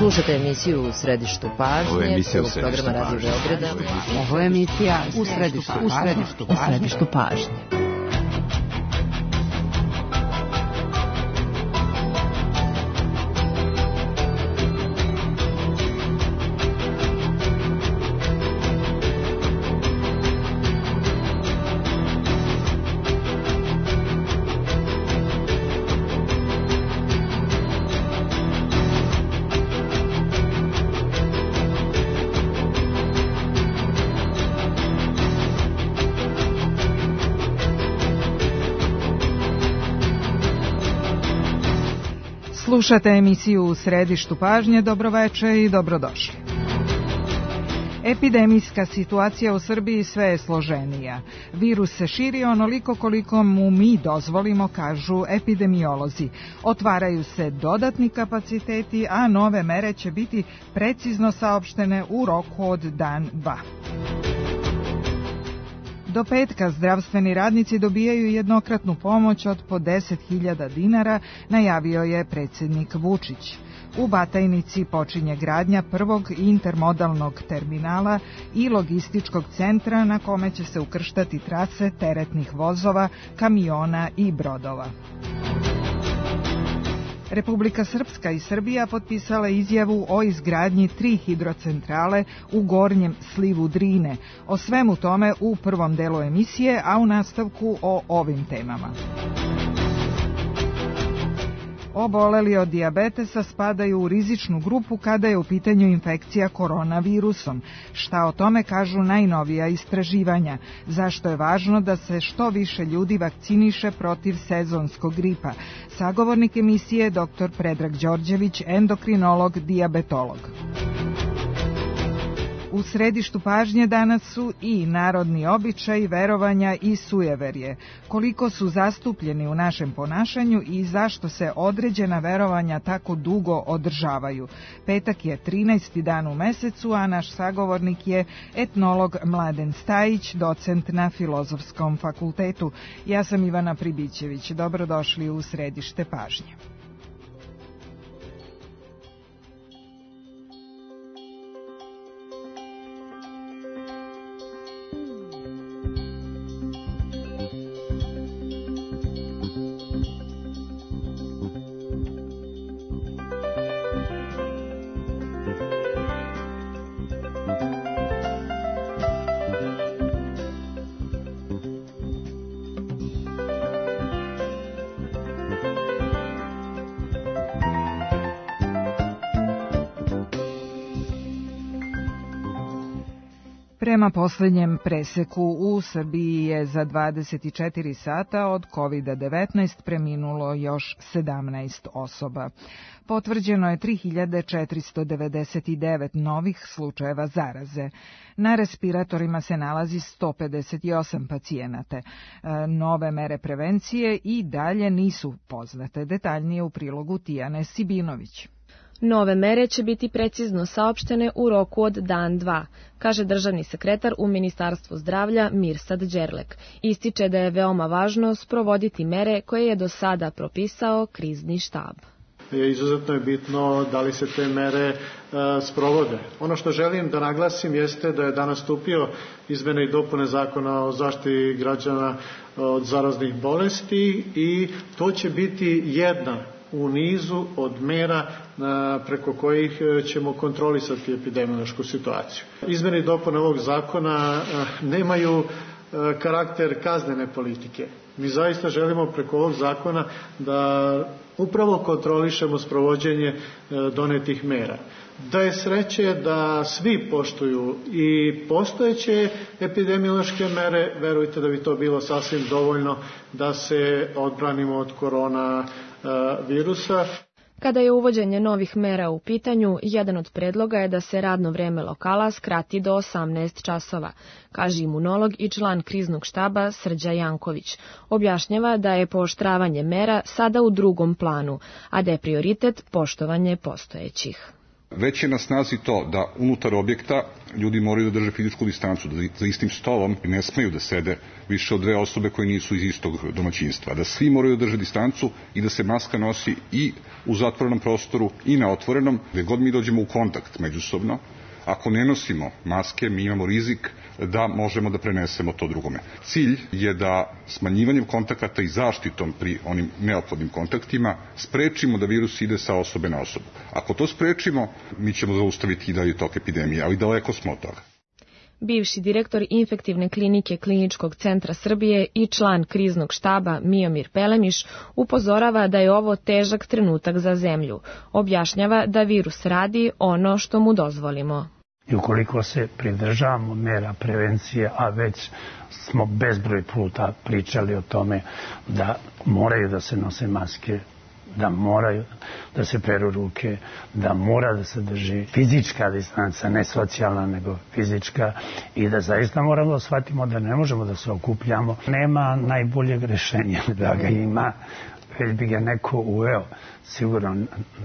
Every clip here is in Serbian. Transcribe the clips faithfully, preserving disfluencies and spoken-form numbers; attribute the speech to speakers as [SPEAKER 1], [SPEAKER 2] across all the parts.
[SPEAKER 1] Slušate emisiju U središtu pažnje.
[SPEAKER 2] Ovo je emisija U
[SPEAKER 1] središtu
[SPEAKER 2] pažnje.
[SPEAKER 1] Radio Beograda.
[SPEAKER 3] Ovo je emisija U središtu pažnje. U središtu pažnje.
[SPEAKER 4] Slušate emisiju U središtu pažnje, dobroveče i dobrodošli. Epidemijska situacija u Srbiji sve je složenija. Virus se širi onoliko koliko mu mi dozvolimo, kažu epidemiolozi. Otvaraju se dodatni kapaciteti, a nove mere će biti precizno saopštene u roku od dan, dva. Do petka zdravstveni radnici dobijaju jednokratnu pomoć od po deset hiljada dinara, najavio je predsjednik Vučić. U Batajnici počinje gradnja prvog intermodalnog terminala i logističkog centra na kome će se ukrštati trase teretnih vozova, kamiona i brodova. Republika Srpska i Srbija potpisale izjavu o izgradnji tri hidrocentrale u gornjem slivu Drine. O svemu tome u prvom delu emisije, a u nastavku o ovim temama. Oboleli od dijabetesa spadaju u rizičnu grupu kada je u pitanju infekcija koronavirusom. Šta o tome kažu najnovija istraživanja? Zašto je važno da se što više ljudi vakciniše protiv sezonskog gripa? Sagovornik emisije doktor Predrag Đorđević, endokrinolog, dijabetolog. U središtu pažnje danas su i narodni običaji, verovanja i sujeverje. Koliko su zastupljeni u našem ponašanju i zašto se određena verovanja tako dugo održavaju. Petak je trinaesti dan u mesecu, a naš sagovornik je etnolog Mladen Stajić, docent na Filozofskom fakultetu. Ja sam Ivana Pribićević. Dobrodošli u središte pažnje. Prema posljednjem preseku u Srbiji je za dvadeset četiri sata od kovid devetnaest preminulo još sedamnaest osoba. Potvrđeno je tri hiljade četiristo devedeset devet novih slučajeva zaraze. Na respiratorima se nalazi sto pedeset osam pacijenata. Nove mere prevencije i dalje nisu poznate. Detaljnije u prilogu Tijane Sibinović.
[SPEAKER 5] Nove mere će biti precizno saopštene u roku od dan dva, kaže državni sekretar u Ministarstvu zdravlja Mirsad Đerlek. Ističe da je veoma važno sprovoditi mere koje je do sada propisao krizni štab.
[SPEAKER 6] Izuzetno je bitno da li se te mere e, sprovode. Ono što želim da naglasim jeste da je danas stupio izmene i dopune Zakona o zaštiti građana od zaraznih bolesti i to će biti jedna u nizu od mera preko kojih ćemo kontrolisati epidemiološku situaciju. Izmene i dopune ovog zakona nemaju karakter kaznene politike. Mi zaista želimo preko ovog zakona da upravo kontrolišemo sprovođenje donetih mera. Da je sreće da svi poštuju i postojeće epidemiološke mere, verujte da bi to bilo sasvim dovoljno da se odbranimo od korona virusa.
[SPEAKER 5] Kada je uvođenje novih mera u pitanju, jedan od predloga je da se radno vreme lokala skrati do osamnaest časova, kaže imunolog i član kriznog štaba Srđa Janković. Objašnjava da je pooštravanje mera sada u drugom planu, a da je prioritet poštovanje postojećih.
[SPEAKER 2] Već je na snazi to da unutar objekta ljudi moraju da drže fizičku distancu, da za istim stolom ne smeju da sede više od dve osobe koje nisu iz istog domaćinstva, da svi moraju da drže distancu i da se maska nosi i u zatvorenom prostoru i na otvorenom, gde god mi dođemo u kontakt međusobno. Ako ne nosimo maske, mi imamo rizik da možemo da prenesemo to drugome. Cilj je da smanjivanjem kontakata i zaštitom pri onim neophodnim kontaktima sprečimo da virus ide sa osobe na osobu. Ako to sprečimo, mi ćemo zaustaviti i dalje tok epidemije, ali daleko smo od toga.
[SPEAKER 5] Bivši direktor infektivne klinike Kliničkog centra Srbije i član kriznog štaba Miomir Pelemiš upozorava da je ovo težak trenutak za zemlju. Objašnjava da virus radi ono što mu dozvolimo.
[SPEAKER 7] I ukoliko se pridržavamo mera prevencije, a već smo bezbroj puta pričali o tome da moraju da se nose maske, da moraju da se peru ruke, da mora da se drži fizička distanca, ne socijalna, nego fizička, i da zaista moramo da shvatimo da ne možemo da se okupljamo. Nema najboljeg rešenja, da ga ima, već bi ga neko uveo. Sigurno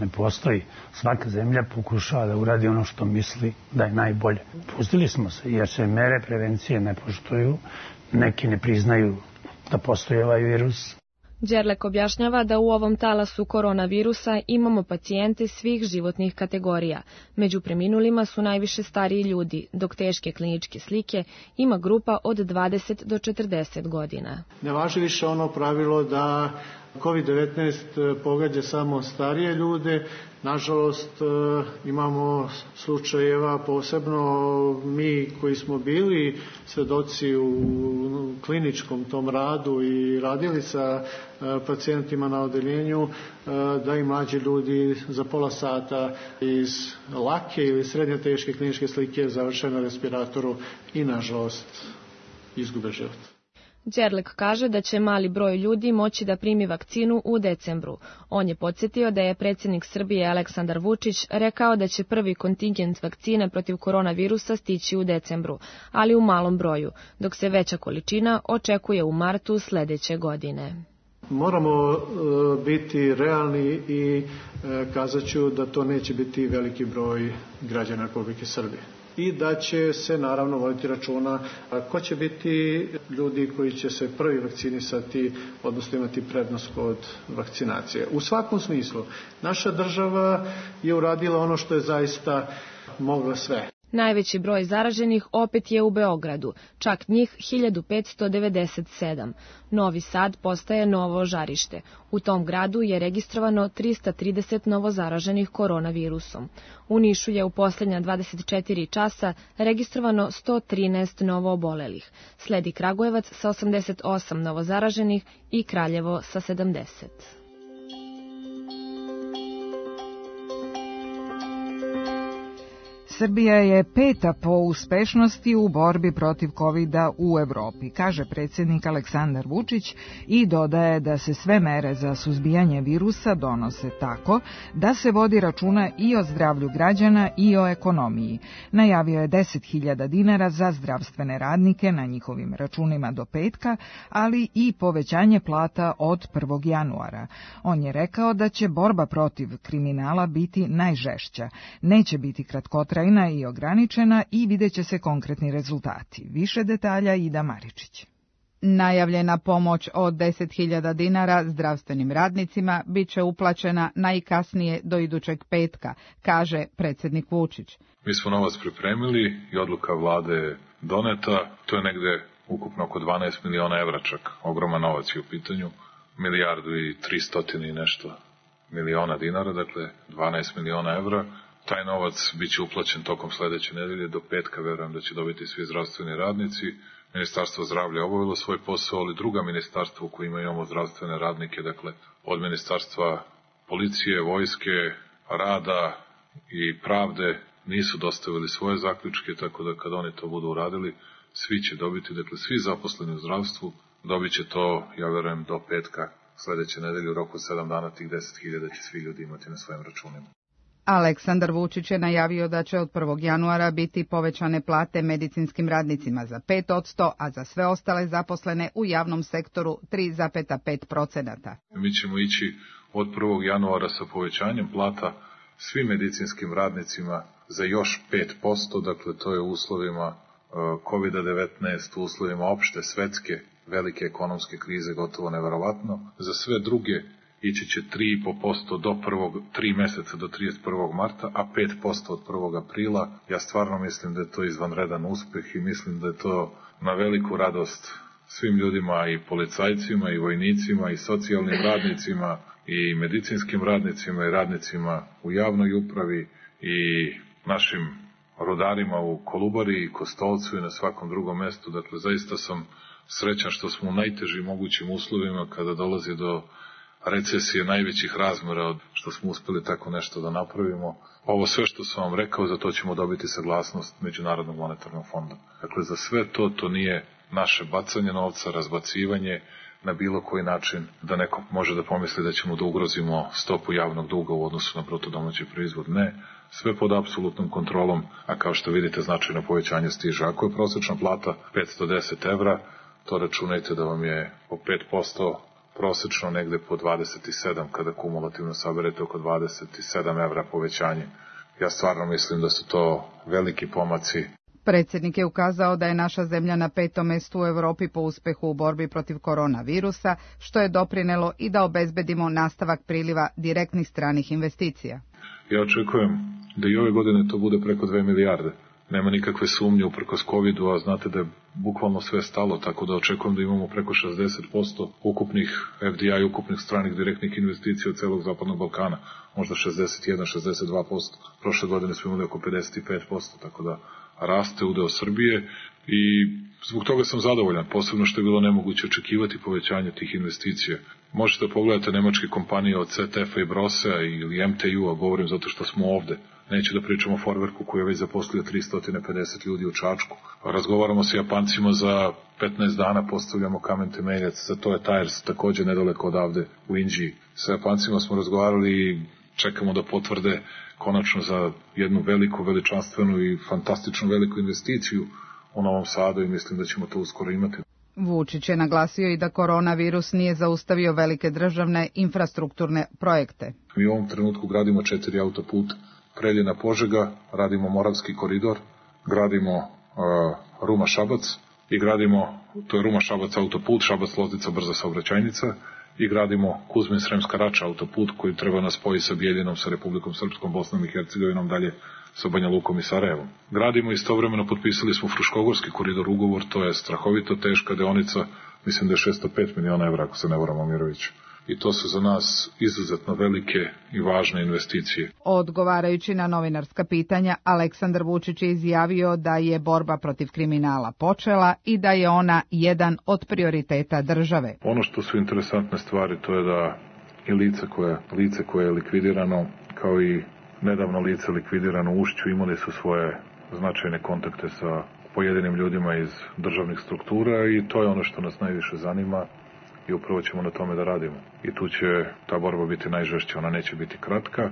[SPEAKER 7] ne postoji. Svaka zemlja pokušava da uradi ono što misli da je najbolje. Pustili smo se, jer se mere prevencije ne poštuju, neki ne priznaju da postoji ovaj virus.
[SPEAKER 5] Đerlek objašnjava da u ovom talasu koronavirusa imamo pacijente svih životnih kategorija. Među preminulima su najviše stariji ljudi, dok teške kliničke slike ima grupa od dvadeset do četrdeset godina.
[SPEAKER 6] Ne važi više ono pravilo da kovid devetnaest pogađa samo starije ljude. Nažalost, imamo slučajeva, posebno mi koji smo bili svedoci u kliničkom tom radu i radili sa pacijentima na odeljenju, da i mlađi ljudi za pola sata iz lake ili srednje teške kliničke slike završe na respiratoru i, nažalost, izgube život.
[SPEAKER 5] Đerlek kaže da će mali broj ljudi moći da primi vakcinu u decembru. On je podsjetio da je predsjednik Srbije Aleksandar Vučić rekao da će prvi kontingent vakcine protiv koronavirusa stići u decembru, ali u malom broju, dok se veća količina očekuje u martu sledeće godine.
[SPEAKER 6] Moramo e, biti realni i e, kazat ću da to neće biti veliki broj građana Republike Srbije. I da će se naravno voditi računa ko će biti ljudi koji će se prvi vakcinisati, odnosno imati prednost kod vakcinacije. U svakom smislu, naša država je uradila ono što je zaista mogla sve.
[SPEAKER 5] Najveći broj zaraženih opet je u Beogradu, čak njih hiljadu petsto devedeset sedam. Novi Sad postaje novo žarište. U tom gradu je registrovano trista trideset novozaraženih koronavirusom. U Nišu je u posljednja dvadeset četiri časa registrovano sto trinaest novoobolelih. Sledi Kragujevac sa osamdeset osam novozaraženih i Kraljevo sa sedamdeset.
[SPEAKER 4] Srbija je peta po uspešnosti u borbi protiv kovida u Evropi, kaže predsjednik Aleksandar Vučić i dodaje da se sve mere za suzbijanje virusa donose tako da se vodi računa i o zdravlju građana i o ekonomiji. Najavio je deset hiljada dinara za zdravstvene radnike na njihovim računima do petka, ali i povećanje plata od prvog januara. On je rekao da će borba protiv kriminala biti najžešća, neće biti kratkotrajna i ograničena i vidjet će se konkretni rezultati. Više detalja Ida Maričić.
[SPEAKER 3] Najavljena pomoć od deset hiljada dinara zdravstvenim radnicima bit će uplaćena najkasnije do idućeg petka, kaže predsjednik Vučić.
[SPEAKER 8] Mi smo novac pripremili i odluka vlade je doneta. To je negde ukupno oko dvanaest miliona evra, čak ogroman novac je u pitanju. Milijardu i tristotine i nešto miliona dinara, dakle dvanaest miliona evra. Taj novac bit će uplaćen tokom sledeće nedelje, do petka verujem da će dobiti svi zdravstveni radnici. Ministarstvo zdravlja je obavilo svoj posao, ali druga ministarstva u kojima imamo zdravstvene radnike, dakle od ministarstva policije, vojske, rada i pravde, nisu dostavili svoje zaključke, tako da kad oni to budu uradili, svi će dobiti, dakle svi zaposleni u zdravstvu, dobit će to, ja verujem, do petka sledeće nedelje, u roku sedam dana tih deset hiljada će svi ljudi imati na svojim računima.
[SPEAKER 3] Aleksandar Vučić je najavio da će od prvog januara biti povećane plate medicinskim radnicima za pet posto, a za sve ostale zaposlene u javnom sektoru tri zarez pet posto.
[SPEAKER 8] Mi ćemo ići od prvog januara sa povećanjem plata svim medicinskim radnicima za još pet posto, dakle to je u uslovima kovid devetnaest, u uslovima opšte svetske velike ekonomske krize gotovo neverovatno. Za sve druge ići će tri i po posto do prvog, tri meseca do trideset prvog marta, a pet posto od prvog aprila. Ja stvarno mislim da je to izvanredan uspeh i mislim da je to na veliku radost svim ljudima, i policajcima, i vojnicima, i socijalnim radnicima, i medicinskim radnicima, i radnicima u javnoj upravi, i našim rudarima u Kolubari i Kostolcu i na svakom drugom mestu. Dakle, zaista sam srećan što smo u najtežim mogućim uslovima, kada dolazi do recesije najvećih razmera, što smo uspeli tako nešto da napravimo. Ovo sve što sam vam rekao, za to ćemo dobiti saglasnost Međunarodnog monetarnog fonda. Dakle, za sve to, to nije naše bacanje novca, razbacivanje na bilo koji način, da neko može da pomisli da ćemo da ugrozimo stopu javnog duga u odnosu na bruto domaći proizvod. Ne, sve pod apsolutnom kontrolom, a kao što vidite značajno povećanje stiže. Ako je prosečna plata petsto deset evra, to računajte da vam je po pet posto prosečno negde po dvadeset sedam, kada kumulativno saberete oko dvadeset sedam evra povećanje. Ja stvarno mislim da su to veliki pomaci.
[SPEAKER 3] Predsjednik je ukazao da je naša zemlja na petom mestu u Europi po uspehu u borbi protiv koronavirusa, što je doprinelo i da obezbedimo nastavak priliva direktnih stranih investicija.
[SPEAKER 8] Ja očekujem da i ove godine to bude preko dve milijarde. Nema nikakve sumnje uprkos covidu, a znate da je bukvalno sve stalo, tako da očekujem da imamo preko šezdeset posto ukupnih F D I, ukupnih stranih direktnih investicija od celog Zapadnog Balkana, možda šezdeset jedan do šezdeset dva posto. Prošle godine smo imali oko pedeset pet posto, tako da raste udeo Srbije i zbog toga sam zadovoljan, posebno što je bilo nemoguće očekivati povećanje tih investicija. Možete da pogledate nemačke kompanije od C T F-a i Brosea ili M T U-a, govorim zato što smo ovde. Neću da pričamo o Forwerku koji je već zaposlio tristo pedeset ljudi u Čačku. Razgovaramo sa Japancima, za petnaest dana postavljamo kamen temeljac za Toyo Tires, takođe nedaleko odavde u Inđiji. Sa Japancima smo razgovarali i čekamo da potvrde konačno za jednu veliku, veličanstvenu i fantastičnu veliku investiciju u Novom Sadu i mislim da ćemo to uskoro imati.
[SPEAKER 3] Vučić je naglasio i da koronavirus nije zaustavio velike državne infrastrukturne projekte.
[SPEAKER 8] Mi u ovom trenutku gradimo četiri autoputa. Preljina-Požega, radimo Moravski koridor, gradimo uh, Ruma-Šabac i gradimo, to je Ruma-Šabac autoput, Šabac-Loznica brza saobraćajnica, i gradimo Kuzmin-Sremska Rača autoput koji treba nas spoji sa Bijeljinom, sa Republikom Srpskom, Bosnom i Hercegovinom, dalje sa Banja Lukom i Sarajevom. Gradimo istovremeno, potpisali smo Fruškogorski koridor ugovor, to je strahovito teška deonica, mislim da je šesto pet miliona evra, ako se ne varam, Mirović. I to su za nas izuzetno velike i važne investicije.
[SPEAKER 3] Odgovarajući na novinarska pitanja, Aleksandar Vučić je izjavio da je borba protiv kriminala počela i da je ona jedan od prioriteta države.
[SPEAKER 8] Ono što su interesantne stvari, to je da i lice koje, lice koje je likvidirano, kao i nedavno lice likvidirano u Ušću, imali su svoje značajne kontakte sa pojedinim ljudima iz državnih struktura i to je ono što nas najviše zanima. I upravo ćemo na tome da radimo. I tu će ta borba biti najžešća, ona neće biti kratka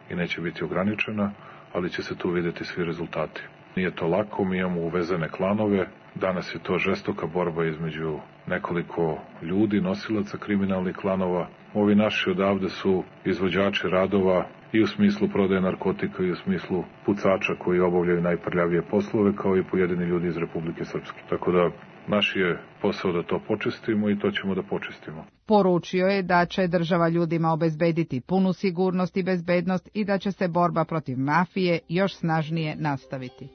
[SPEAKER 8] i neće biti ograničena, ali će se tu vidjeti svi rezultati. Nije to lako, mi imamo uvezene klanove, danas je to žestoka borba između nekoliko ljudi, nosilaca kriminalnih klanova. Ovi naši odavde su izvođači radova i u smislu prodaje narkotika i u smislu pucača koji obavljaju najprljavije poslove, kao i pojedini ljudi iz Republike Srpske. Tako da naš je posao da to počistimo i to ćemo da počistimo.
[SPEAKER 3] Poručio je da će država ljudima obezbediti punu sigurnost i bezbednost i da će se borba protiv mafije još snažnije nastaviti.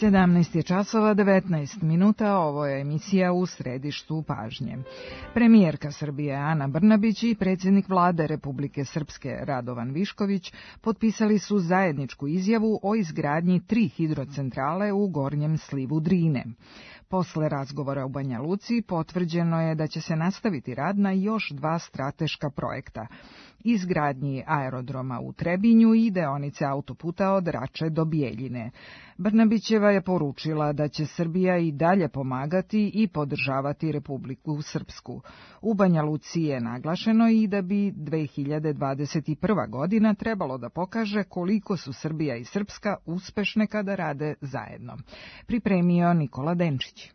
[SPEAKER 4] sedamnaest je časova devetnaest minuta, ovo je emisija U središtu pažnje. Premijerka Srbije Ana Brnabić i predsjednik vlade Republike Srpske Radovan Višković potpisali su zajedničku izjavu o izgradnji tri hidrocentrale u gornjem slivu Drine. Posle razgovora u Banja Luci potvrđeno je da će se nastaviti rad na još dva strateška projekta. izgradnji aerodroma u Trebinju i deonice autoputa od Rače do Bijeljine. Brnabićeva je poručila da će Srbija i dalje pomagati i podržavati Republiku Srpsku. U Banja Luci je naglašeno i da bi dve hiljade dvadeset prva godina trebalo da pokaže koliko su Srbija i Srpska uspešne kada rade zajedno. Pripremio Nikola Denčić.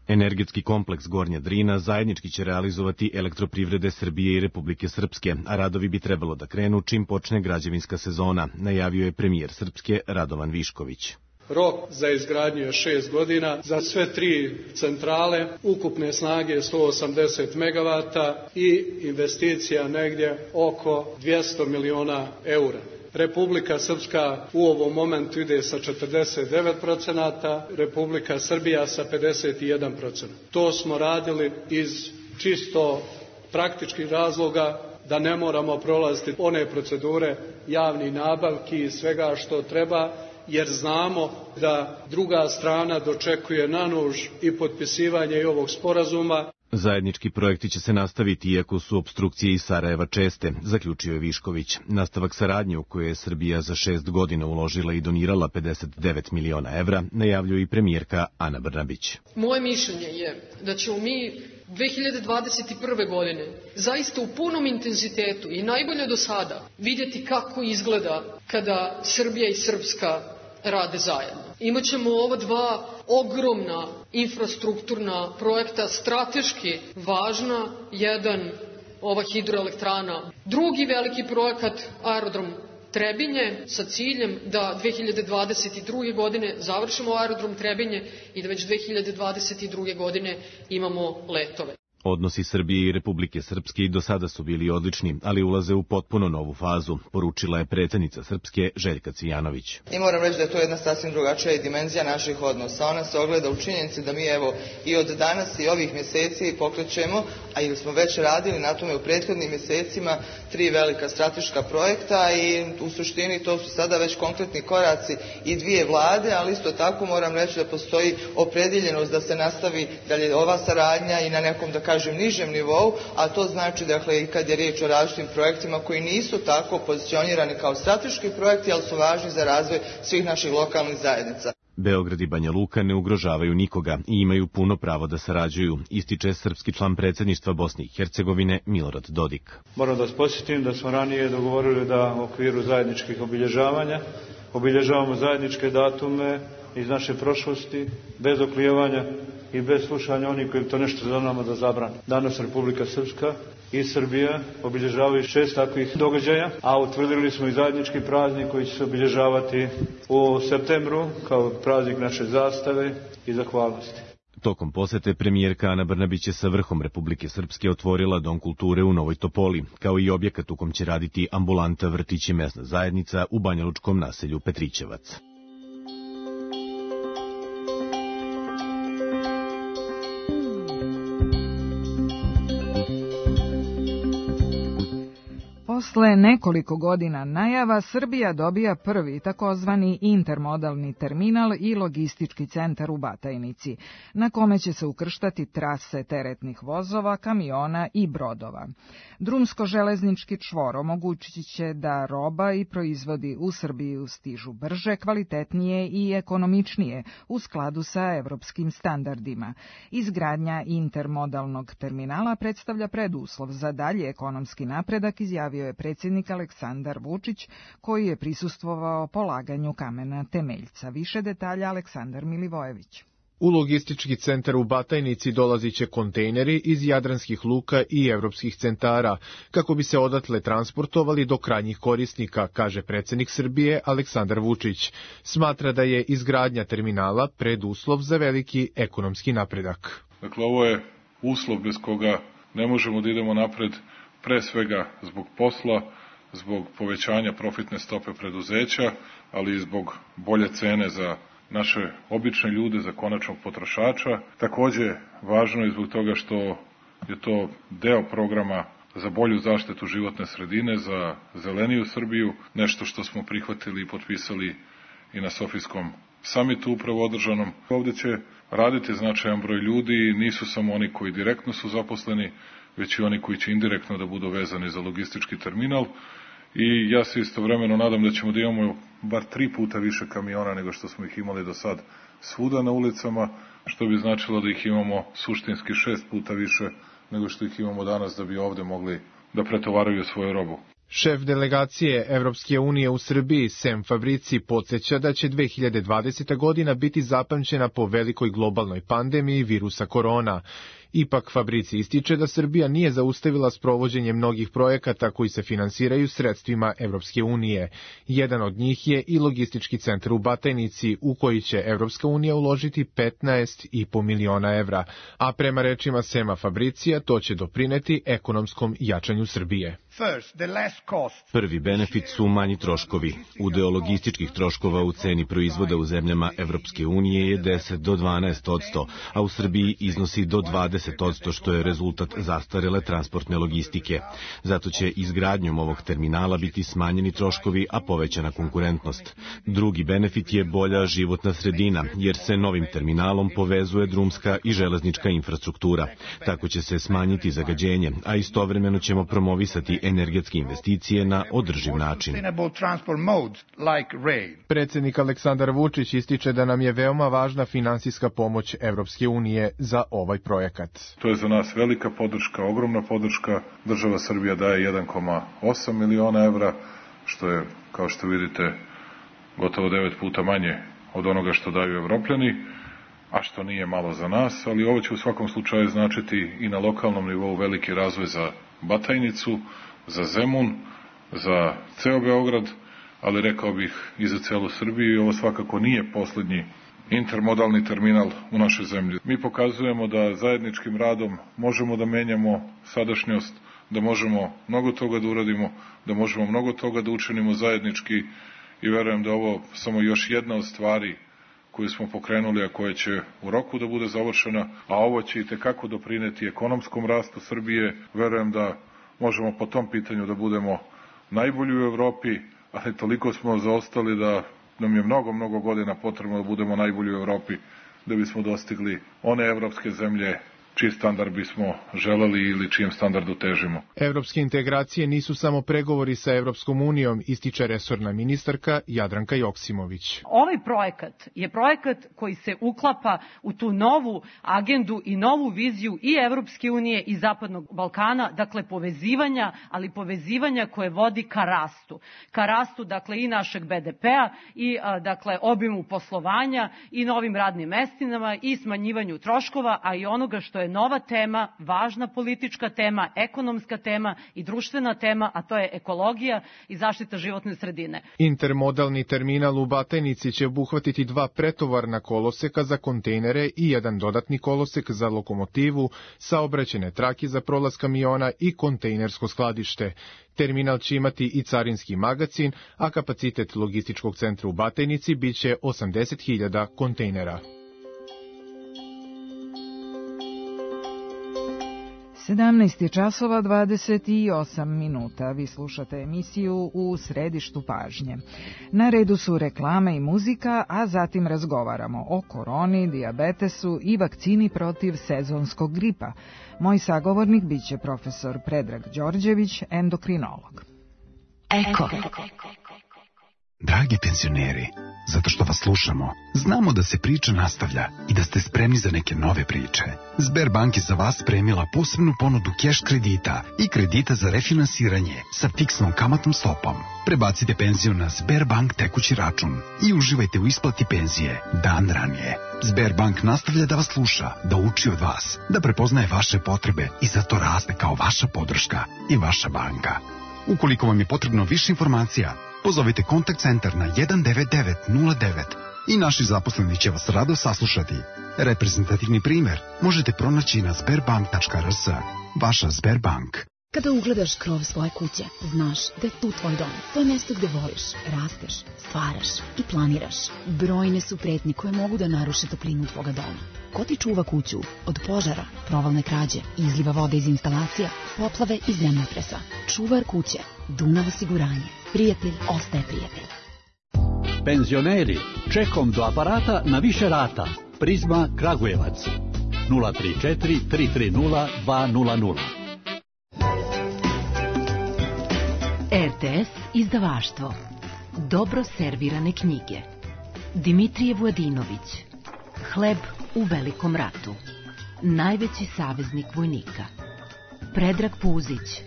[SPEAKER 9] Energetski kompleks Gornja Drina zajednički će realizovati Elektroprivrede Srbije i Republike Srpske, a radovi bi trebalo da krenu čim počne građevinska sezona, najavio je premijer Srpske Radovan Višković.
[SPEAKER 10] Rok za izgradnju je šest godina, za sve tri centrale, ukupne snage sto osamdeset megavata i investicija negdje oko dvjesto miliona eura. Republika Srpska u ovom momentu ide sa četrdeset devet procenata, Republika Srbija sa pedeset jedan procenat. To smo radili iz čisto praktičkih razloga da ne moramo prolaziti one procedure javnih nabavki i svega što treba, jer znamo da druga strana dočekuje na nož i potpisivanje i ovog sporazuma.
[SPEAKER 9] Zajednički projekti će se nastaviti iako su opstrukcije iz Sarajeva česte, zaključio je Višković. Nastavak saradnje u kojoj je Srbija za šest godina uložila i donirala pedeset devet miliona evra, najavljuje i premijerka Ana Brnabić.
[SPEAKER 11] Moje mišljenje je da ćemo mi dve hiljade dvadeset prve godine zaista u punom intenzitetu i najbolje do sada vidjeti kako izgleda kada Srbija i Srpska rade zajedno. Imaćemo ova dva ogromna infrastrukturna projekta, strateški važna, jedan ova hidroelektrana, drugi veliki projekat aerodrom Trebinje sa ciljem da dve hiljade dvadeset druge godine završimo aerodrom Trebinje i da već dve hiljade dvadeset druge godine imamo letove.
[SPEAKER 9] Odnosi Srbije i Republike Srpske i do sada su bili odlični, ali ulaze u potpuno novu fazu, poručila je predsjednica Srpske Željka Cvijanović.
[SPEAKER 12] I moram reći da je to jedna sasvim drugačija dimenzija naših odnosa. Ona se ogleda u činjenici da mi evo i od danas i ovih mjeseci pokrećemo, a ili smo već radili na tome u prethodnim mjesecima, tri velika strateška projekta i u suštini to su sada već konkretni koraci i dvije vlade, ali isto tako moram reći da postoji opredjeljenost da se nastavi dalje ova saradnja i na nekom, da kažem, nižem nivou, a to znači, dakle, i kad je riječ o različitim projektima koji nisu tako pozicionirani kao strateški projekti, ali su važni za razvoj svih naših lokalnih zajednica.
[SPEAKER 9] Beograd i Banja Luka ne ugrožavaju nikoga i imaju puno pravo da sarađuju, ističe srpski član predsjedništva Bosne i Hercegovine Milorad Dodik.
[SPEAKER 13] Moram da vas podsjetim da smo ranije dogovorili da u okviru zajedničkih obilježavanja obilježavamo zajedničke datume iz naše prošlosti, bez oklijevanja i bez slušanja onih koji to nešto za nama da zabrane. Danas Republika Srpska i Srbija obilježavaju šest takvih događaja, a utvrdili smo i zajednički praznik koji će se obilježavati u septembru kao praznik naše zastave i zahvalnosti.
[SPEAKER 9] Tokom posete premijerka Ana Brnabić je sa vrhom Republike Srpske otvorila Dom kulture u Novoj Topoli, kao i objekat u kom će raditi ambulanta, vrtić i mesna zajednica u banjalučkom naselju Petrićevac.
[SPEAKER 4] Posle nekoliko godina najava, Srbija dobija prvi takozvani intermodalni terminal i logistički centar u Batajnici, na kome će se ukrštati trase teretnih vozova, kamiona i brodova. Drumsko-železnički čvor omogućit će da roba i proizvodi u Srbiju stižu brže, kvalitetnije i ekonomičnije u skladu sa evropskim standardima. Izgradnja intermodalnog terminala predstavlja preduslov za dalji ekonomski napredak, izjavio je predsjednik Aleksandar Vučić, koji je prisustvovao polaganju kamena temeljca. Više detalja Aleksandar Milivojević.
[SPEAKER 14] U logistički centar u Batajnici dolazit će kontejneri iz jadranskih luka i evropskih centara, kako bi se odatle transportovali do krajnjih korisnika, kaže predsjednik Srbije Aleksandar Vučić. Smatra da je izgradnja terminala preduslov za veliki ekonomski napredak.
[SPEAKER 8] Dakle, ovo je uslov bez koga ne možemo da idemo napred, pre svega zbog posla, zbog povećanja profitne stope preduzeća, ali i zbog bolje cene za naše obične ljude, za konačnog potrošača. Takođe, važno je zbog toga što je to deo programa za bolju zaštitu životne sredine, za zeleniju Srbiju, nešto što smo prihvatili i potpisali i na Sofijskom samitu upravo održanom. Ovde će raditi značajan broj ljudi, nisu samo oni koji direktno su zaposleni, već i oni koji će indirektno da budu vezani za logistički terminal. I ja se istovremeno nadam da ćemo da imamo bar tri puta više kamiona nego što smo ih imali do sad svuda na ulicama, što bi značilo da ih imamo suštinski šest puta više nego što ih imamo danas, da bi ovde mogli da pretovaraju svoju robu.
[SPEAKER 14] Šef delegacije Evropske unije u Srbiji, Sem Fabrici, podsjeća da će dve hiljade dvadeseta godina biti zapamćena po velikoj globalnoj pandemiji virusa korona. Ipak Fabrici ističe da Srbija nije zaustavila sprovođenje mnogih projekata koji se finansiraju sredstvima Evropske unije. Jedan od njih je i logistički centar u Batajnici, u koji će Evropska unija uložiti petnaest i po miliona evra, a prema rečima Sema Fabricija to će doprineti ekonomskom jačanju Srbije.
[SPEAKER 9] Prvi benefit su manji troškovi. Udeo logističkih troškova u ceni proizvoda u zemljama Evropske unije je deset do dvanaest odsto, a u Srbiji iznosi do dvadeset odsto, što je rezultat zastarele transportne logistike. Zato će izgradnjom ovog terminala biti smanjeni troškovi, a povećana konkurentnost. Drugi benefit je bolja životna sredina, jer se novim terminalom povezuje drumska i železnička infrastruktura. Tako će se smanjiti zagađenje, a istovremeno ćemo promovisati energetske investicije na održiv način.
[SPEAKER 14] Predsjednik Aleksandar Vučić ističe da nam je veoma važna finansijska pomoć Evropske unije za ovaj projekat.
[SPEAKER 8] To je za nas velika podrška, ogromna podrška. Država Srbija daje jedan zarez osam miliona evra, što je, kao što vidite, gotovo devet puta manje od onoga što daju Evropljani, a što nije malo za nas, ali ovo će u svakom slučaju značiti i na lokalnom nivou veliki razvoj za Batajnicu, za Zemun, za ceo Beograd, ali rekao bih i za celu Srbiju, i ovo svakako nije poslednji intermodalni terminal u našoj zemlji. Mi pokazujemo da zajedničkim radom možemo da menjamo sadašnjost, da možemo mnogo toga da uradimo, da možemo mnogo toga da učinimo zajednički, i verujem da ovo samo još jedna od stvari koju smo pokrenuli, a koja će u roku da bude završena, a ovo će i tekako doprineti ekonomskom rastu Srbije. Verujem da možemo po tom pitanju da budemo najbolji u Evropi, ali toliko smo zaostali da nam je mnogo, mnogo godina potrebno da budemo najbolji u Evropi da bismo dostigli one evropske zemlje čiji standard bismo želeli ili čijem standardu težimo.
[SPEAKER 14] Evropske integracije nisu samo pregovori sa Evropskom unijom, ističe resorna ministarka Jadranka Joksimović.
[SPEAKER 15] Ovaj projekat je projekat koji se uklapa u tu novu agendu i novu viziju i Evropske unije i Zapadnog Balkana, dakle povezivanja, ali povezivanja koje vodi ka rastu. Ka rastu, dakle, i našeg be de pea i dakle obimu poslovanja i novim radnim mestinama i smanjivanju troškova, a i onoga što je nova tema, važna politička tema, ekonomska tema i društvena tema, a to je ekologija i zaštita životne sredine.
[SPEAKER 14] Intermodalni terminal u Batajnici će obuhvatiti dva pretovarna koloseka za kontejnere i jedan dodatni kolosek za lokomotivu, saobraćajne trake za prolaz kamiona i kontejnersko skladište. Terminal će imati i carinski magacin, a kapacitet logističkog centra u Batajnici biće osamdeset hiljada kontejnera.
[SPEAKER 4] sedamnaest časova dvadeset osam minuta. Vi slušate emisiju U središtu pažnje. Na redu su reklame i muzika, a zatim razgovaramo o koroni, dijabetesu i vakcini protiv sezonskog gripa. Moj sagovornik biće profesor Predrag Đorđević, endokrinolog.
[SPEAKER 16] Eko. Dragi penzioneri, zato što vas slušamo, znamo da se priča nastavlja i da ste spremni za neke nove priče. Sberbank je za vas spremila posebnu ponudu keš kredita i kredita za refinansiranje sa fiksnom kamatnom stopom. Prebacite penziju na Sberbank tekući račun i uživajte u isplati penzije dan ranije. Sberbank nastavlja da vas sluša, da uči od vas, da prepoznaje vaše potrebe i zato raste kao vaša podrška i vaša banka. Ukoliko vam je potrebno više informacija, pozovite kontakt centar na jedan devet devet nula devet i naši zaposleni će vas rado saslušati. Reprezentativni primer možete pronaći na sberbank tačka r s. Vaša Sberbank.
[SPEAKER 17] Kada ugledaš krov svoje kuće, znaš da je tu tvoj dom. To je mjesto gde voliš, rasteš, stvaraš i planiraš. Brojne su pretnje koje mogu da naruše toplinu tvoga doma. Ko ti čuva kuću od požara, provalne krađe, izliva vode iz instalacija, poplave i zemljotresa? Čuvar kuće, Dunav osiguranje. Prijatelj ostaje prijatelj.
[SPEAKER 18] Penzioneri, čekom do aparata na više rata. Prizma Kragujevac. nula tri četiri tri tri nula dva nula nula.
[SPEAKER 17] te es izdavaštvo. Dobro servirane knjige. Dimitrije Vujadinović. Hleb u velikom ratu. Najveći saveznik vojnika. Predrag Puzić.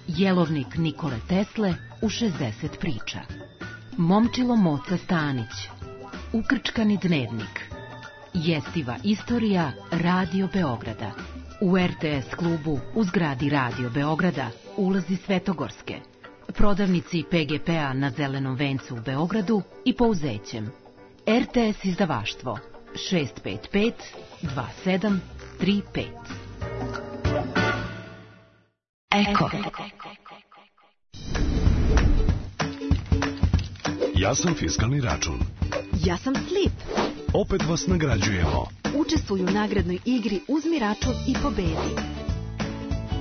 [SPEAKER 17] Jelovnik Nikole Tesle u šezdeset priča. Momčilo Moca Stanić. Ukrčkani dnevnik. Jestiva istorija Radio Beograda. U er te es klubu u zgradi Radio Beograda ulazi Svetogorske. Prodavnici pe ge pe-a na Zelenom vencu u Beogradu i Pouzećem. er te es izdavaštvo šest pet pet dva sedam tri pet. Eko.
[SPEAKER 19] Ja sam fiskalni račun.
[SPEAKER 20] Ja sam Slip.
[SPEAKER 19] Opet vas nagrađujemo.
[SPEAKER 20] Učestvuju u nagradnoj igri Uzmi račun i pobedi.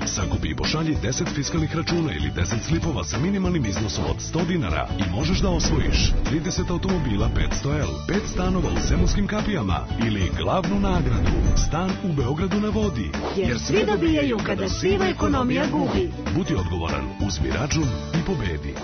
[SPEAKER 19] Sakupi i pošalji deset fiskalnih računa ili deset slipova sa minimalnim iznosom od sto dinara i možeš da osvojiš trideset automobila petsto el, pet stanova u Zemunskim kapijama ili glavnu nagradu, stan u Beogradu na vodi.
[SPEAKER 20] Jer svi dobijaju kada siva ekonomija gubi.
[SPEAKER 19] Budi odgovoran, uzmi račun i pobedi.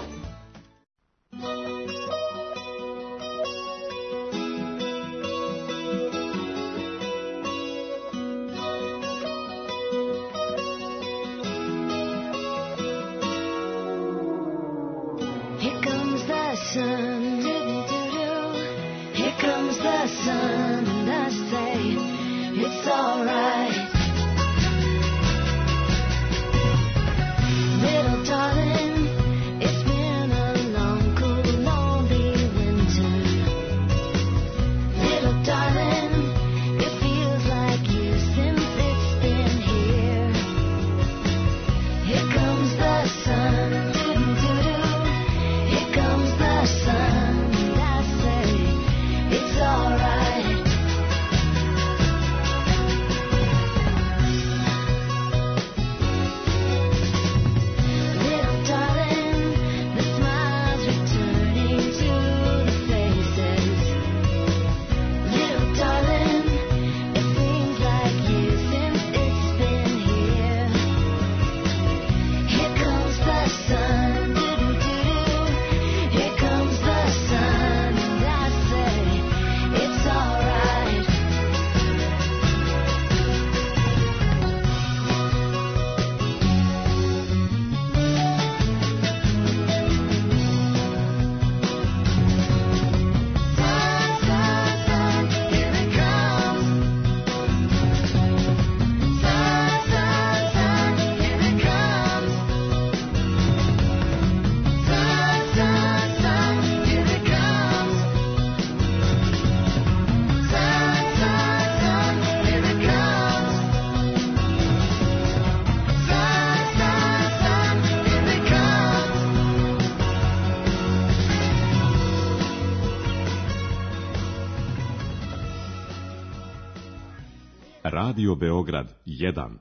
[SPEAKER 19] Radio Beograd jedan.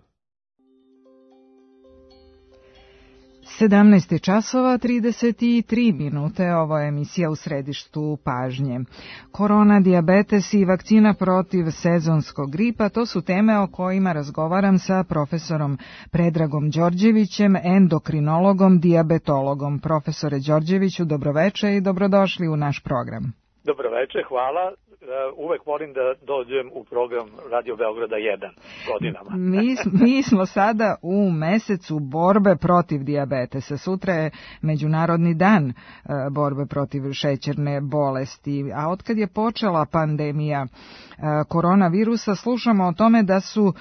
[SPEAKER 4] sedamnaest časova trideset tri minute, ovo je emisija U središtu pažnje. Korona, dijabetes i vakcina protiv sezonskog gripa, to su teme o kojima razgovaram sa profesorom Predragom Đorđevićem, endokrinologom, dijabetologom. Profesore Đorđeviću, dobroveče i dobrodošli u naš program.
[SPEAKER 21] Dobroveče, hvala. Uvek volim da dođem u program Radio Beograda jedan godinama.
[SPEAKER 4] Mi, mi smo sada u mesecu borbe protiv dijabetesa. Sutra je Međunarodni dan borbe protiv šećerne bolesti. A otkad je počela pandemija koronavirusa, slušamo o tome da su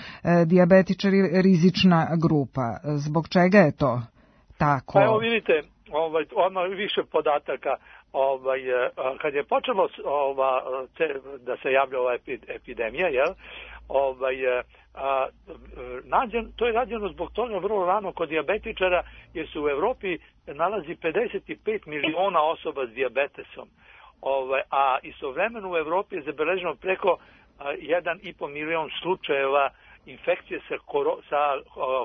[SPEAKER 4] dijabetičari rizična grupa. Zbog čega je to tako?
[SPEAKER 21] Pa evo vidite, ovaj, odmah više podataka. Ovaj, kad je počelo ova, te, da se javlja ova epidemija, jel, ovaj, a, nađen, to je rađeno zbog toga vrlo rano kod dijabetičara, jer se u Evropi nalazi pedeset pet miliona osoba s dijabetesom, ovaj, a istovremeno u Evropi je zabeleženo preko jedan i po milion slučajeva infekcije sa, sa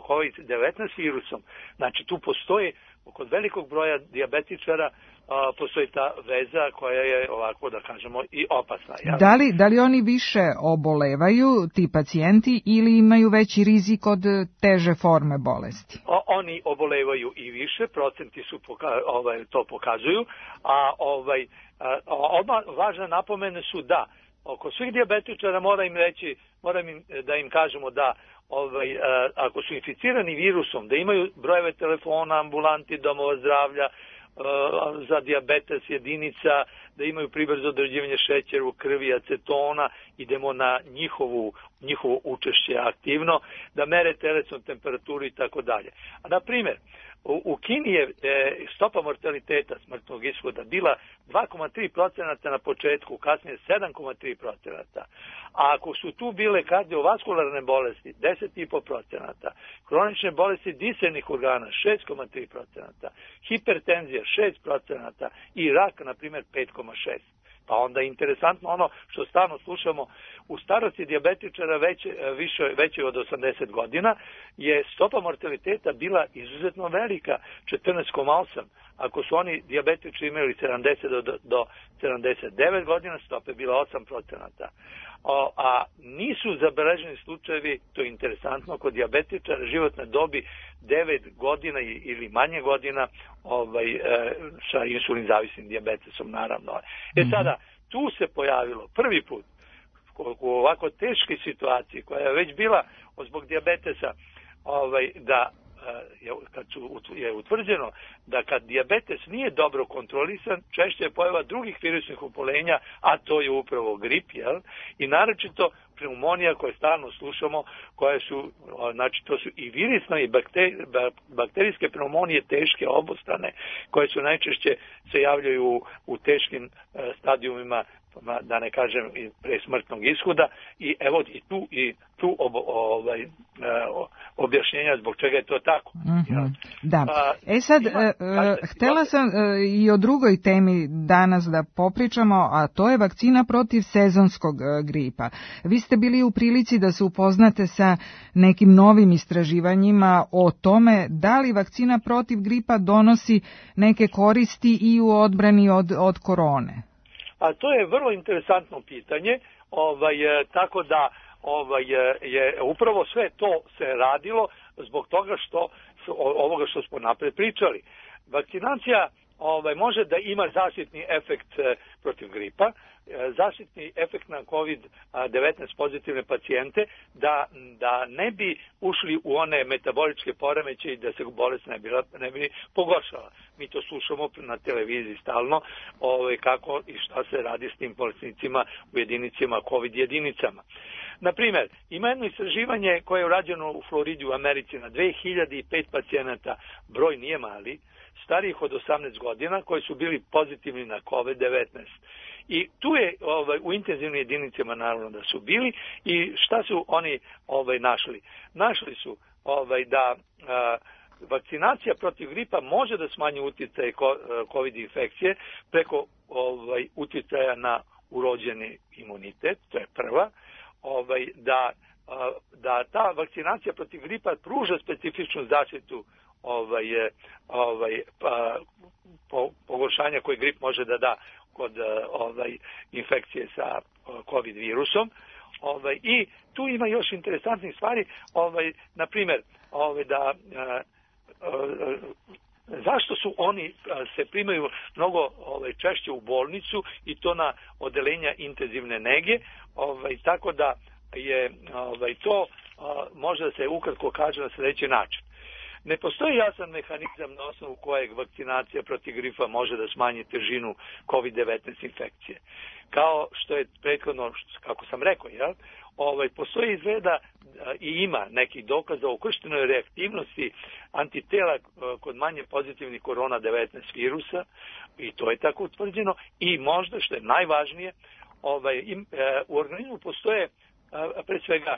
[SPEAKER 21] kovid devetnaest virusom. Znači tu postoji kod velikog broja dijabetičara a, postoji ta veza koja je ovako da kažemo i opasna. Ja?
[SPEAKER 4] Da li, da li oni više obolevaju, ti pacijenti, ili imaju veći rizik od teže forme bolesti?
[SPEAKER 21] O, oni obolevaju i više, procenti su poka, ovaj, to pokazuju, a ovaj odmah važne napomene su da oko svih dijabetičara moram im reći, moram im, da im kažemo da ovaj, ako su inficirani virusom, da imaju brojeve telefona, ambulanti, domova zdravlja, za dijabetes jedinica, da imaju pribrzo određivanje šećera u krvi, acetona, idemo na njihovu, njihovo učešće aktivno, da mere telesnu temperaturu i tako dalje. A na primjer, u, u Kini je e, stopa mortaliteta smrtnog ishoda bila dva zarez tri procenta na početku, kasnije sedam zarez tri procenta. A ako su tu bile kardiovaskularne bolesti, deset zarez pet procenta, kronične bolesti disenih organa, šest zarez tri procenta, hipertenzija šest procenta i rak, na primjer, pet zarez šest procenta. Pa onda je interesantno ono što stalno slušamo, u starosti dijabetičara veće, više, veće od osamdeset godina je stopa mortaliteta bila izuzetno velika, četrnaest zarez osam. Ako su oni dijabetičari imali sedamdeset do, do sedamdeset devet godina, stopa je bila osam procenta. O, a nisu zabeleženi slučajevi, to je interesantno, kod dijabetičara životne dobi devet godina ili manje godina ovaj, e, sa insulin zavisnim dijabetesom, naravno. E sada, tu se pojavilo prvi put u ovako teškoj situaciji koja je već bila zbog dijabetesa, ovaj, da je, kad su, je utvrđeno da kad dijabetes nije dobro kontrolisan, češće je pojava drugih virusnih oboljenja, a to je upravo grip, jel? I naročito pneumonija koje stalno slušamo, koje su, znači to su i virusne i bakterijske pneumonije teške, obostrane, koje su najčešće se javljaju u, u teškim stadijumima, da ne kažem i pre smrtnog ishoda, i evo i tu i tu ob, ovaj objašnjenja zbog čega je to tako.
[SPEAKER 4] Mm-hmm.
[SPEAKER 21] Ja.
[SPEAKER 4] Da. E sad, ima, e, kažete, htela sam e, i o drugoj temi danas da popričamo, a to je vakcina protiv sezonskog e, gripa. Vi ste bili u prilici da se upoznate sa nekim novim istraživanjima o tome da li vakcina protiv gripa donosi neke koristi i u odbrani od, od korone.
[SPEAKER 21] A to je vrlo interesantno pitanje, ovaj, tako da ovaj, je upravo sve to se radilo zbog toga što ovoga što smo napred pričali. Vakcinacija ovaj, može da ima zaštitni efekt protiv gripa, zaštitni efekt na kovid devetnaest pozitivne pacijente, da, da ne bi ušli u one metaboličke poremeće i da se bolest ne bi, ne bi pogoršala. Mi to slušamo na televiziji stalno, ovaj, kako i šta se radi s tim bolesnicima u jedinicama, covid jedinicama. Naprimjer, ima jedno istraživanje koje je urađeno u Floridi u Americi na dve hiljade pet pacijenata, broj nije mali, starijih od osamnaest godina, koji su bili pozitivni na kovid devetnaest. I tu je ovaj, u intenzivnim jedinicama naravno da su bili, i šta su oni ovaj, našli? Našli su ovaj, da a, vakcinacija protiv gripa može da smanji utjecaj covid infekcije preko ovaj, utjecaja na urođeni imunitet, to je prva, ovaj, da, a, da ta vakcinacija protiv gripa pruža specifičnu zaštitu ovaj, ovaj, pa, po, pogoršanja koje grip može da da kod ovaj, infekcije sa covid virusom. Ovaj, I tu ima još interesantnih stvari, ovaj, na primjer, ovaj, da a, a, zašto su oni a, se primaju mnogo ovaj, češće u bolnicu i to na odelenja intenzivne nege, ovaj, tako da je ovaj, to a, može da se ukratko kaže na sljedeći način. Ne postoji jasan mehanizam na osnovu kojeg vakcinacija protiv gripa može da smanji težinu kovid devetnaest infekcije. Kao što je prethodno, kako sam rekao, jel? Ovaj, postoji izgleda i ima nekih dokaza o ukrštenoj reaktivnosti antitela kod manje pozitivnih korona devetnaest virusa, i to je tako utvrđeno, i možda, što je najvažnije, ovaj, im, e, u organizmu postoje pre svega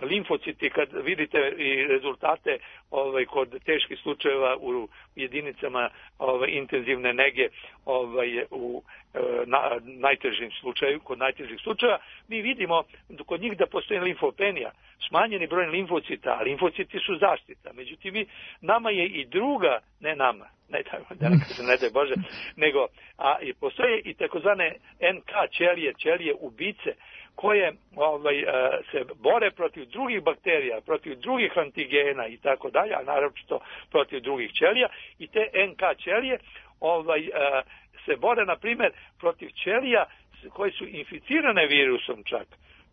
[SPEAKER 21] limfociti, kad vidite i rezultate ovaj, kod teških slučajeva u jedinicama ovaj, intenzivne nege ovaj, u na, najtežim slučaju, kod najtežih slučajeva, mi vidimo kod njih da postoji limfopenija, smanjeni broj limfocita, a limfociti su zaštita. Međutim, mi, nama je i druga, ne nama, ne, da ne kažem, ne daj Bože, nego, a i postoje i takozvane en ka ćelije, ćelije ubice, koje ovaj, se bore protiv drugih bakterija, protiv drugih antigena i tako dalje, a naročito protiv drugih ćelija, i te en ka ćelije ovaj, se bore, na primjer, protiv ćelija koje su inficirane virusom čak.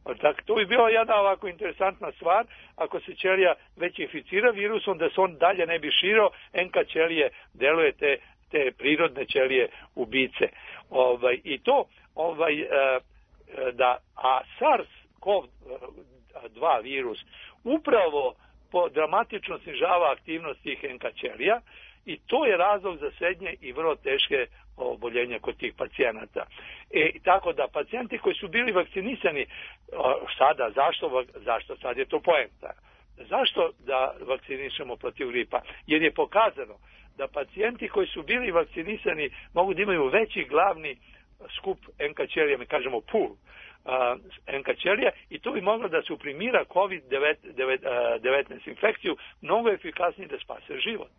[SPEAKER 21] Dakle, to bi bila jedna ovako interesantna stvar, ako se ćelija već inficira virusom, da se on dalje ne bi širio, en ka ćelije deluje te, te prirodne ćelije ubice. Ovaj, I to, ovaj, da, a SARS-CoV dva virus upravo po dramatično snižava aktivnost tih en ka ćelija, i to je razlog za srednje i vrlo teške oboljenja kod tih pacijenata. E, tako da pacijenti koji su bili vakcinisani sada, zašto, zašto sad je to poenta? Zašto da vakcinišemo protiv gripa? Jer je pokazano da pacijenti koji su bili vakcinisani mogu da imaju veći glavni skup en ka ćelija, mi kažemo pool en ka ćelija, i to bi moglo da suprimira kovid devetnaest infekciju mnogo efikasnije da spase život.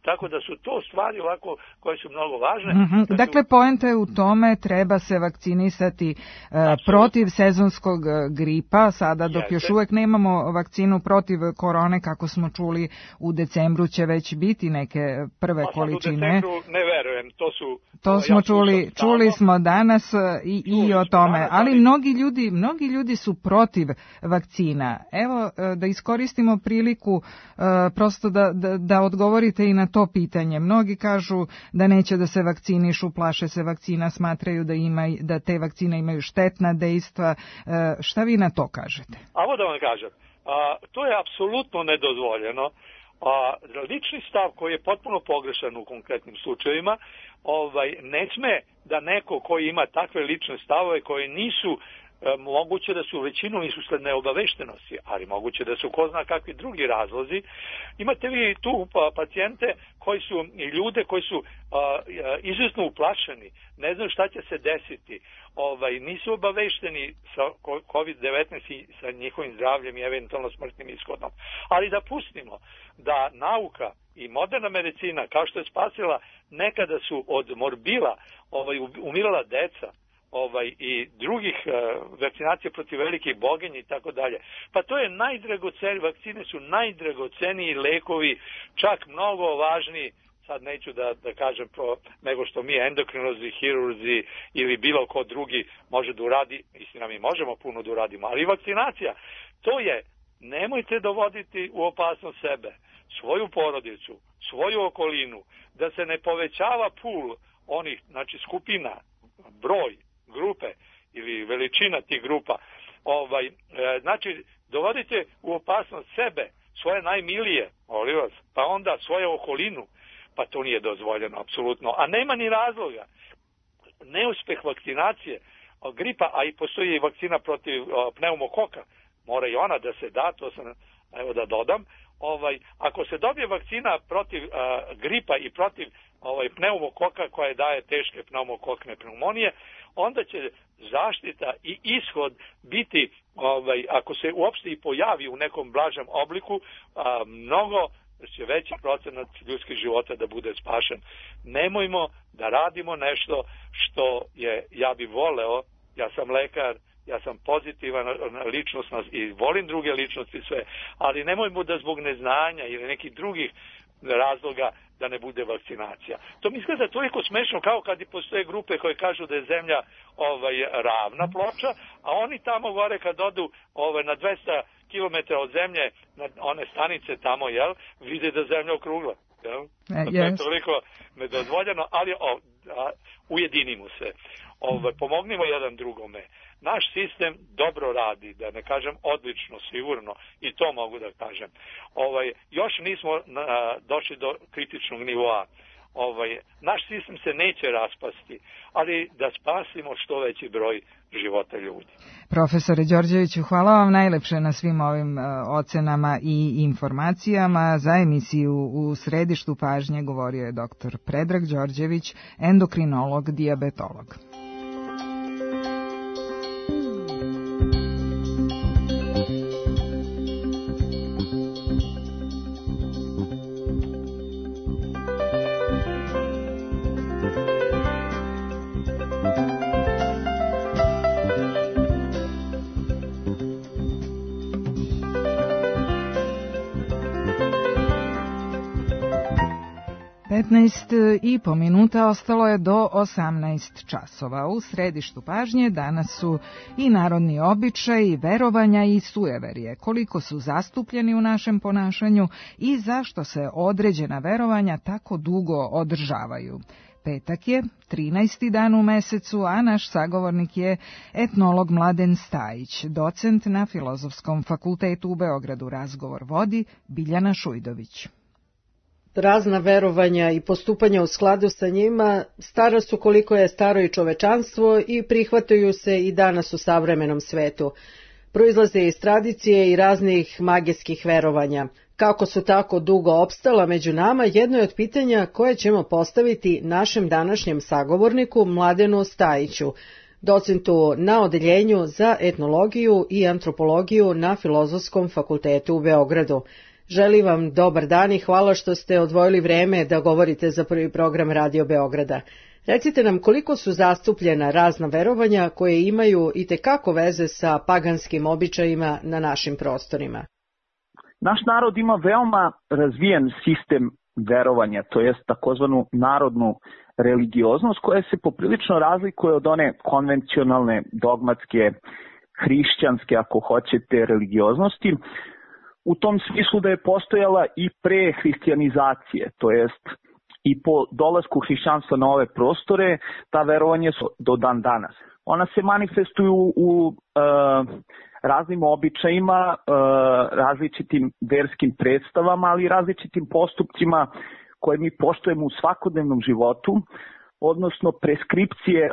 [SPEAKER 21] Tako da su to stvari ovako koje su mnogo važne.
[SPEAKER 4] Mm-hmm. Dakle, poenta je u tome, treba se vakcinisati uh, protiv sezonskog gripa, sada dok Jeste. još uvek nemamo vakcinu protiv korone, kako smo čuli, u decembru će već biti neke prve
[SPEAKER 21] pa,
[SPEAKER 4] količine.
[SPEAKER 21] U decembru ne verujem, to su...
[SPEAKER 4] To smo ja čuli, čuli smo danas i, i o tome, danas, ali mnogi ljudi, mnogi ljudi su protiv vakcina. Evo, da iskoristimo priliku uh, prosto da, da, da odgovorite i na to pitanje. Mnogi kažu da neće da se vakcinišu, plaše se vakcina, smatraju da, ima, da te vakcine imaju štetna dejstva. Šta vi na to kažete?
[SPEAKER 21] Ovo da vam kažem, a, to je apsolutno nedozvoljeno. A, lični stav koji je potpuno pogrešan u konkretnim slučajevima, ovaj, ne sme da neko koji ima takve lične stavove koje nisu moguće da su većinom usled neobaveštenosti, ali moguće da su ko zna kakvi drugi razlozi. Imate vi tu pacijente koji su i ljude koji su a, izuzetno uplašeni, ne znaju šta će se desiti, ovaj, nisu obavešteni sa kovid devetnaest i sa njihovim zdravljem i eventualno smrtnim ishodom. Ali da pustimo da nauka i moderna medicina, kao što je spasila, nekada su od morbila ovaj, umirala deca, ovaj i drugih uh, vakcinacija protiv velikih boginja i tako dalje. Pa to je najdragocenije, vakcine su najdragoceniji lekovi, čak mnogo važniji, sad neću da, da kažem pro, nego što mi endokrinolozi, hirurzi ili bilo ko drugi može da uradi, istina mi možemo puno da uradimo, ali vakcinacija, to je, nemojte dovoditi u opasnost sebe, svoju porodicu, svoju okolinu, da se ne povećava pul onih, znači skupina, broj, grupe ili veličina tih grupa, ovaj, e, znači dovodite u opasnost sebe, svoje najmilije, molim vas, pa onda svoju okolinu, pa to nije dozvoljeno, apsolutno. A nema ni razloga. Neuspeh vakcinacije, gripa, a i postoji vakcina protiv o, pneumokoka, mora i ona da se da, to sam, evo da dodam, ovaj, ako se dobije vakcina protiv a, gripa i protiv ovaj, pneumokoka koja daje teške pneumokokne pneumonije, onda će zaštita i ishod biti, ovaj, ako se uopšte i pojavi u nekom blažem obliku, a, mnogo će veći procenat ljudskih života da bude spašen. Nemojmo da radimo nešto što je, ja bi voleo, ja sam lekar, ja sam pozitivan ličnost i volim druge ličnosti sve, ali nemojmo da zbog neznanja ili nekih drugih razloga da ne bude vakcinacija. To mi izgleda toliko smešno kao kad i postoje grupe koje kažu da je zemlja ovaj, ravna ploča, a oni tamo gore kad odu ovaj, na dvesta kilometara od zemlje, na one stanice tamo, jel, vide da zemlja okrugla. Jel?
[SPEAKER 4] Uh,
[SPEAKER 21] to je toliko nedozvoljeno, ali o, a, ujedinimo se. Ovaj, pomognimo jedan drugome. Naš sistem dobro radi, da ne kažem odlično, sigurno, i to mogu da kažem. Ovaj, još nismo a, došli do kritičnog nivoa. ovaj, naš sistem se neće raspasti, ali da spasimo što veći broj života ljudi.
[SPEAKER 4] Profesore Đorđeviću, hvala vam najlepše na svim ovim uh, ocenama i informacijama. Za emisiju U središtu pažnje govorio je doktor Predrag Đorđević, endokrinolog, dijabetolog. petnaest i po minuta ostalo je do osamnaest časova. U središtu pažnje danas su i narodni običaj, i verovanja i sujeverje. Koliko su zastupljeni u našem ponašanju i zašto se određena verovanja tako dugo održavaju. Petak je, trinaesti dan u mesecu, a naš sagovornik je etnolog Mladen Stajić, docent na Filozofskom fakultetu u Beogradu. Razgovor vodi Biljana Šujdović.
[SPEAKER 1] Razna verovanja i postupanja u skladu sa njima stara su koliko je staro i čovečanstvo i prihvataju se i danas u savremenom svetu. Proizlaze iz tradicije i raznih magijskih verovanja. Kako su tako dugo opstala među nama, jedno je od pitanja koje ćemo postaviti našem današnjem sagovorniku Mladenu Stajiću, docentu na odeljenju za etnologiju i antropologiju na Filozofskom fakultetu u Beogradu. Želim vam dobar dan i hvala što ste odvojili vreme da govorite za prvi program Radio Beograda. Recite nam koliko su zastupljena razna verovanja koje imaju itekako veze sa paganskim običajima na našim prostorima.
[SPEAKER 22] Naš narod ima veoma razvijen sistem verovanja, to jest takozvanu narodnu religioznost koja se poprilično razlikuje od one konvencionalne, dogmatske, hrišćanske, ako hoćete, religioznosti, u tom smislu da je postojala i pre hrišćanizacije, to jest i po dolasku hrišćanstva na ove prostore, ta verovanja su do dan danas. Ona se manifestuju u e, raznim običajima, e, različitim verskim predstavama, ali i različitim postupcima koje mi poštujemo u svakodnevnom životu, odnosno preskripcije e,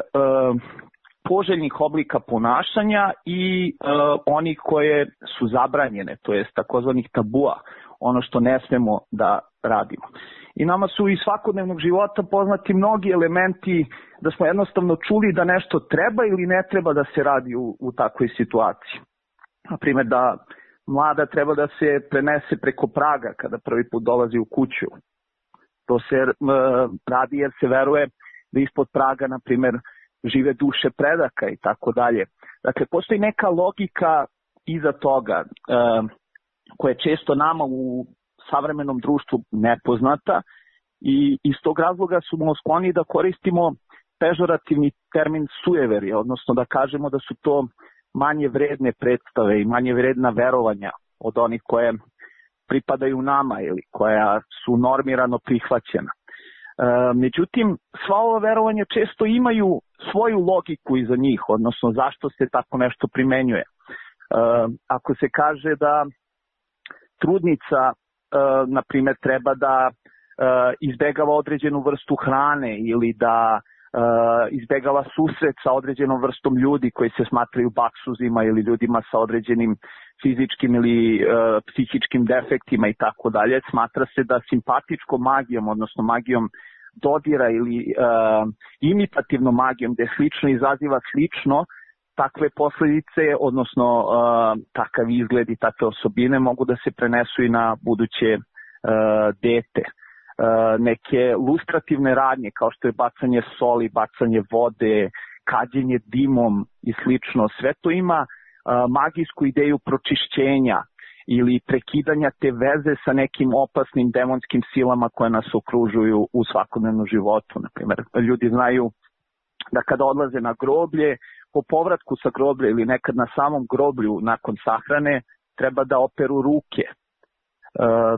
[SPEAKER 22] poželjnih oblika ponašanja i e, onih koje su zabranjene, to jest takozvanih tabua, ono što ne smemo da radimo. I nama su iz svakodnevnog života poznati mnogi elementi da smo jednostavno čuli da nešto treba ili ne treba da se radi u, u takvoj situaciji. Naprimjer da mlada treba da se prenese preko praga kada prvi put dolazi u kuću. To se e, radi jer se veruje da ispod praga, na primjer, žive duše predaka i tako dalje. Dakle, postoji neka logika iza toga e, koja je često nama u savremenom društvu nepoznata i iz tog razloga smo skloni da koristimo pežorativni termin sujeverje, odnosno da kažemo da su to manje vredne predstave i manje vredna verovanja od onih koje pripadaju nama ili koja su normirano prihvaćena. E, međutim, sva ova verovanja često imaju svoju logiku iza njih, odnosno zašto se tako nešto primenjuje. E, ako se kaže da trudnica, e, na primjer, treba da e, izbegava određenu vrstu hrane ili da e, izbegava susret sa određenom vrstom ljudi koji se smatraju baksuzima ili ljudima sa određenim fizičkim ili e, psihičkim defektima i tako dalje, smatra se da simpatičkom magijom, odnosno magijom dodira ili e, imitativnom magijom, gde slično izaziva slično, takve posljedice, odnosno e, takav izgled i takve osobine mogu da se prenesu i na buduće e, dete. E, neke lustrativne radnje kao što je bacanje soli, bacanje vode, kađenje dimom i slično, sve to ima e, magijsku ideju pročišćenja ili prekidanja te veze sa nekim opasnim demonskim silama koje nas okružuju u svakodnevnom životu. Naprimjer, ljudi znaju da kada odlaze na groblje, po povratku sa groblja ili nekad na samom groblju nakon sahrane, treba da operu ruke. E,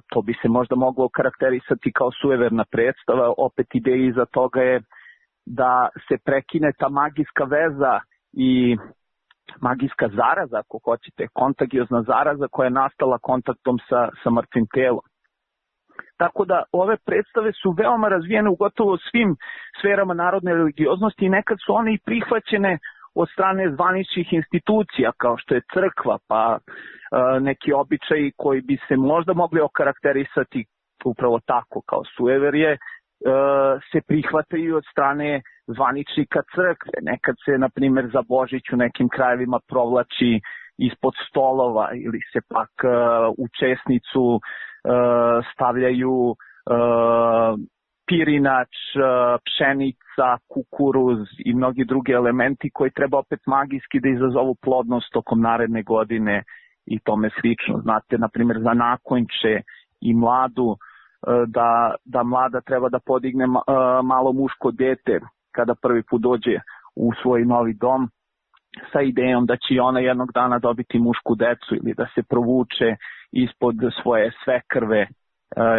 [SPEAKER 22] to bi se možda moglo karakterisati kao sujeverna predstava. Opet ideja iza toga je da se prekine ta magijska veza i magijska zaraza, ako hoćete, kontagiozna zaraza koja je nastala kontaktom sa, sa mrtvim telom. Tako da ove predstave su veoma razvijene u gotovo svim sferama narodne religioznosti i nekad su one i prihvaćene od strane zvaničnih institucija kao što je crkva, pa e, neki običaji koji bi se možda mogli okarakterisati upravo tako kao sujeverje, e, se prihvataju od strane zvaničnika crkve. Nekad se, na primjer, za Božić u nekim krajevima provlači ispod stolova ili se pak e, u česnicu e, stavljaju e, pirinač, pšenica, kukuruz i mnogi drugi elementi koji treba opet magijski da izazovu plodnost tokom naredne godine i tome slično. Znate, na primjer, za nakonče i mladu, da, da mlada treba da podigne malo muško dete kada prvi put dođe u svoj novi dom sa idejom da će ona jednog dana dobiti mušku decu ili da se provuče ispod svoje svekrve,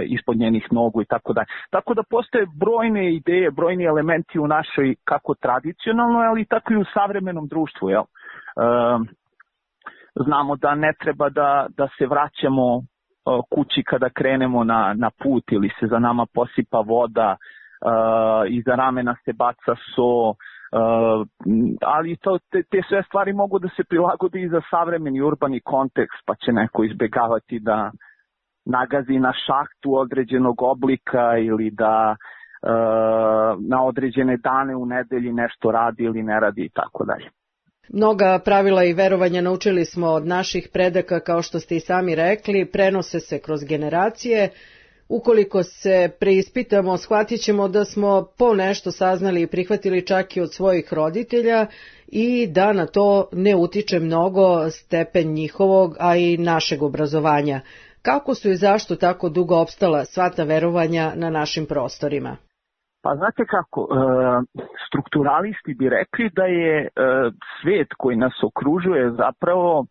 [SPEAKER 22] ispod njenih nogu i tako dalje. Tako da postoje brojne ideje, brojni elementi u našoj kako tradicionalnoj, ali tako i u savremenom društvu. Jel? Znamo da ne treba da, da se vraćamo kući kada krenemo na, na put ili se za nama posipa voda, iza ramena se baca so, ali to, te, te sve stvari mogu da se prilagode i za savremeni urbani kontekst, pa će neko izbegavati da nagazi na šahtu određenog oblika ili da e, na određene dane u nedelji nešto radi ili ne radi i tako dalje.
[SPEAKER 1] Mnoga pravila i verovanja naučili smo od naših predaka, kao što ste i sami rekli, prenose se kroz generacije. Ukoliko se preispitamo, shvatit ćemo da smo po nešto saznali i prihvatili čak i od svojih roditelja i da na to ne utiče mnogo stepen njihovog, a i našeg obrazovanja. Kako su i zašto tako dugo opstala sva ta verovanja na našim prostorima?
[SPEAKER 22] Pa znate kako, e, strukturalisti bi rekli da je e, svet koji nas okružuje zapravo e,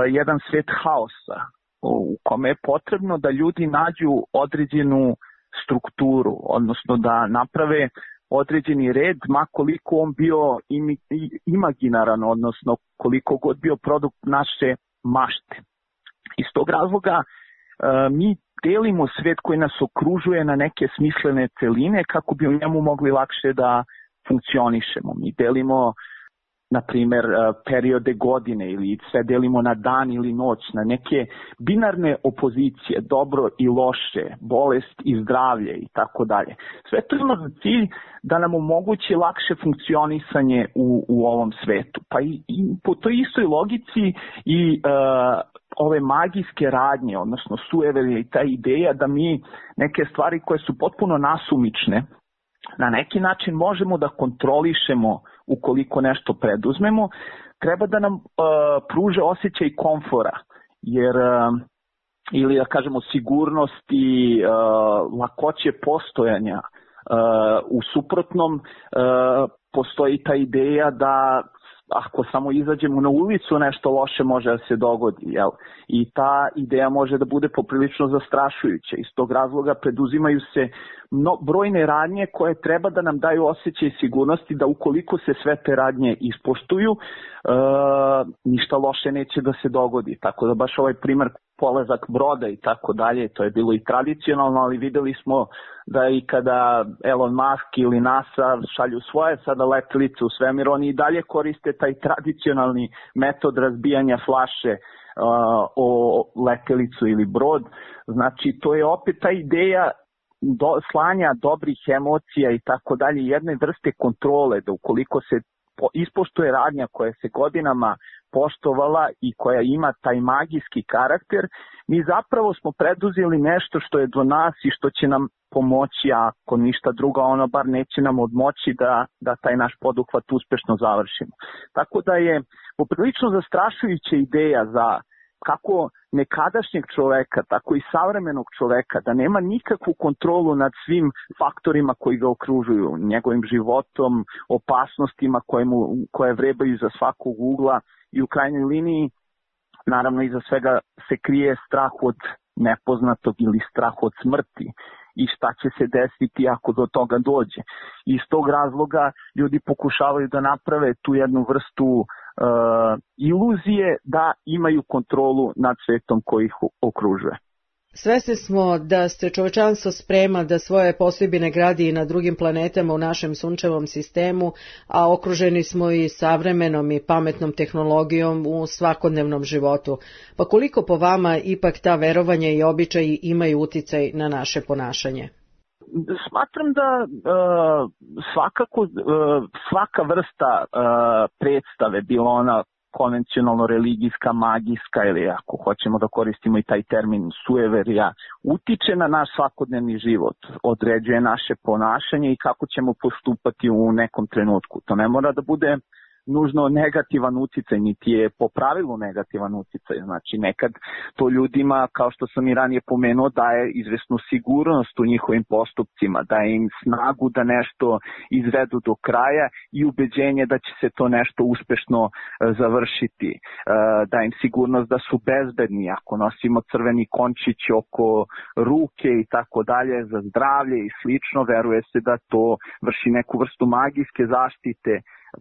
[SPEAKER 22] jedan svet haosa u kome je potrebno da ljudi nađu određenu strukturu, odnosno da naprave određeni red, ma koliko on bio imaginaran, odnosno koliko god bio produkt naše mašte. Iz tog razloga mi delimo svet koji nas okružuje na neke smislene celine kako bi u njemu mogli lakše da funkcionišemo. Mi delimo, na primjer, periode godine ili sve delimo na dan ili noć, na neke binarne opozicije, dobro i loše, bolest i zdravlje i tako dalje. Sve to ima za cilj da nam omogući lakše funkcionisanje u, u ovom svetu. Pa i, i po toj istoj logici i uh, ove magijske radnje, odnosno sujeverje i ta ideja da mi neke stvari koje su potpuno nasumične, na neki način možemo da kontrolišemo ukoliko nešto preduzmemo, treba da nam uh, pruže osjećaj komfora, jer uh, ili da kažemo sigurnosti, uh, lakoće postojanja. Uh, u suprotnom uh, postoji ta ideja da ako samo izađemo na ulicu nešto loše može da se dogodi, jel? I ta ideja može da bude poprilično zastrašujuća. Iz tog razloga preduzimaju se no, brojne radnje koje treba da nam daju osjećaj sigurnosti da ukoliko se sve te radnje ispoštuju, e, ništa loše neće da se dogodi. Tako da baš ovaj primer polazak broda i tako dalje, to je bilo i tradicionalno, ali videli smo da i kada Elon Musk ili NASA šalju svoje sada letelice u svemir, oni i dalje koriste taj tradicionalni metod razbijanja flaše uh, o letelicu ili brod. Znači, to je opet ta ideja do, slanja dobrih emocija i tako dalje, jedne vrste kontrole, da ukoliko se ispoštuje radnja koja se godinama poštovala i koja ima taj magijski karakter, mi zapravo smo preduzeli nešto što je do nas i što će nam pomoći, ako ništa drugo, ono bar neće nam odmoći da, da taj naš poduhvat uspešno završimo. Tako da je poprilično zastrašujuća ideja za kako nekadašnjeg čoveka, tako i savremenog čoveka, da nema nikakvu kontrolu nad svim faktorima koji ga okružuju, njegovim životom, opasnostima koje, mu, koje vrebaju za svakog ugla i u krajnjoj liniji, naravno iza svega se krije strah od nepoznatog ili strah od smrti i šta će se desiti ako do toga dođe. Iz tog razloga ljudi pokušavaju da naprave tu jednu vrstu uh, iluzije da imaju kontrolu nad svetom koji ih okružuje.
[SPEAKER 1] Svesni smo da se čovečanstvo sprema da svoje postojbine gradi i na drugim planetama u našem sunčevom sistemu, a okruženi smo i savremenom i pametnom tehnologijom u svakodnevnom životu. Pa koliko po vama ipak ta verovanja i običaji imaju uticaj na naše ponašanje?
[SPEAKER 22] Smatram da uh, svakako uh, svaka vrsta uh, predstave, bilo ona konvencionalno religijska, magijska ili ako hoćemo da koristimo i taj termin sueverija, utiče na naš svakodnevni život, određuje naše ponašanje i kako ćemo postupati u nekom trenutku. To ne mora da bude nužno negativan uticaj, niti je po pravilu negativan uticaj. Znači nekad to ljudima, kao što sam i ranije pomenuo, daje izvesnu sigurnost u njihovim postupcima, daje im snagu da nešto izvedu do kraja i ubeđenje da će se to nešto uspešno e, završiti. E, daje im sigurnost da su bezbedni ako nosimo crveni končić oko ruke i tako dalje za zdravlje i slično, veruje se da to vrši neku vrstu magijske zaštite,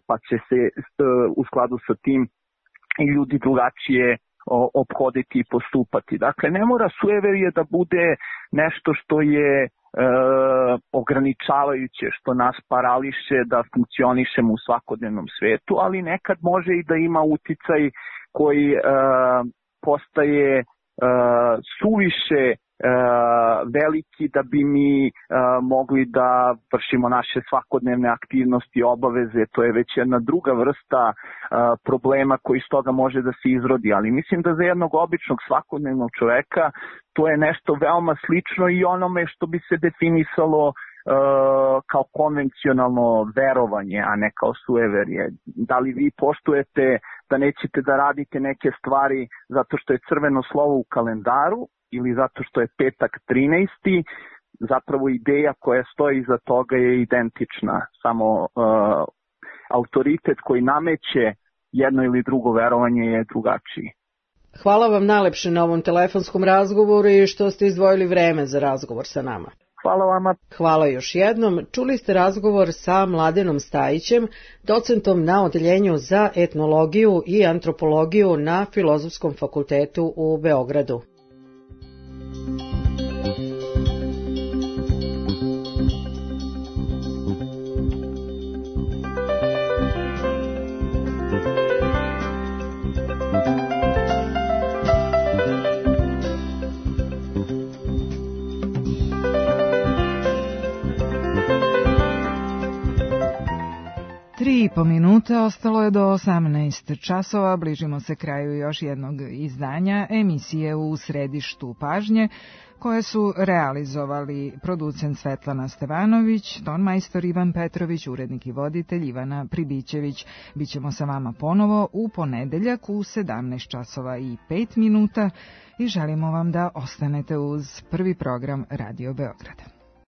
[SPEAKER 22] pa će se u skladu sa tim i ljudi drugačije ophoditi i postupati. Dakle, ne mora sueverije da bude nešto što je e, ograničavajuće, što nas parališe da funkcionišemo u svakodnevnom svetu, ali nekad može i da ima uticaj koji e, postaje e, suviše veliki da bi mi uh, mogli da vršimo naše svakodnevne aktivnosti i obaveze. To je već jedna druga vrsta uh, problema koji iz toga može da se izrodi, ali mislim da za jednog običnog svakodnevnog čoveka to je nešto veoma slično i onome što bi se definisalo uh, kao konvencionalno verovanje, a ne kao sueverje. Da li vi poštujete da nećete da radite neke stvari zato što je crveno slovo u kalendaru ili zato što je petak trinaesti, zapravo ideja koja stoji iza toga je identična, samo uh, autoritet koji nameće jedno ili drugo verovanje je drugačiji.
[SPEAKER 1] Hvala vam najlepše na ovom telefonskom razgovoru i što ste izdvojili vreme za razgovor sa nama.
[SPEAKER 22] Hvala vama.
[SPEAKER 1] Hvala još jednom. Čuli ste razgovor sa Mladenom Stajićem, docentom na odeljenju za etnologiju i antropologiju na Filozofskom fakultetu u Beogradu.
[SPEAKER 4] Tri i po minute, ostalo je do osamnaest časova, bližimo se kraju još jednog izdanja emisije U središtu pažnje, koje su realizovali producent Svetlana Stevanović, tonmajstor Ivan Petrović, urednik i voditelj Ivana Pribićević. Bićemo sa vama ponovo u ponedeljak u sedamnaest časova i pet minuta i želimo vam da ostanete uz prvi program Radio Beograda.